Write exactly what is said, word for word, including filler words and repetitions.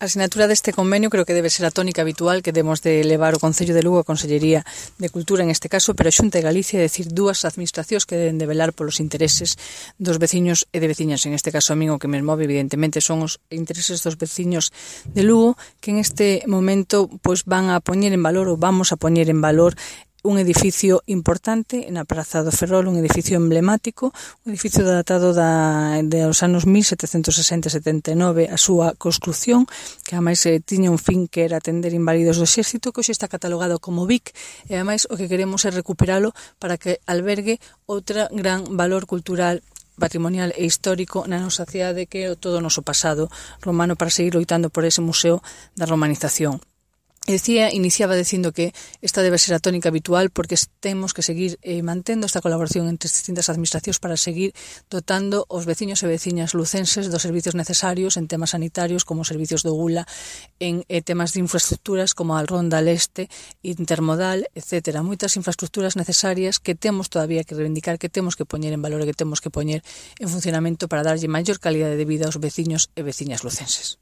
A sinatura deste convenio creo que debe ser a tónica habitual que demos de levar o Concello de Lugo a Consellería de Cultura en este caso, pero a Xunta de Galicia, é dicir, dúas administracións que deben de velar polos intereses dos veciños e de veciñas. En este caso a min o que me move evidentemente son os intereses dos veciños de Lugo, que en este momento pois van a poñer en valor ou vamos a poñer en valor un edificio importante na Praza do Ferrol, un edificio emblemático, un edificio datado da, dos anos mil setecentos sesenta e setenta e nove, a súa construción, que ademais eh, tiña un fin que era atender inválidos do exército, que hoxe está catalogado como V I C, e ademais o que queremos é recuperalo para que albergue outra gran valor cultural, patrimonial e histórico na nosa cidade, que é todo o noso pasado romano, para seguir loitando por ese museo da romanización. E decía, iniciaba dicindo que esta debe ser a tónica habitual porque temos que seguir eh, mantendo esta colaboración entre as distintas administracións para seguir dotando os veciños e veciñas lucenses dos servicios necesarios en temas sanitarios como servicios do Gula, en eh, temas de infraestructuras como a Ronda Leste, Intermodal, etcétera. Moitas infraestructuras necesarias que temos todavía que reivindicar, que temos que poñer en valor e que temos que poñer en funcionamento para darlle maior calidade de vida aos veciños e veciñas lucenses.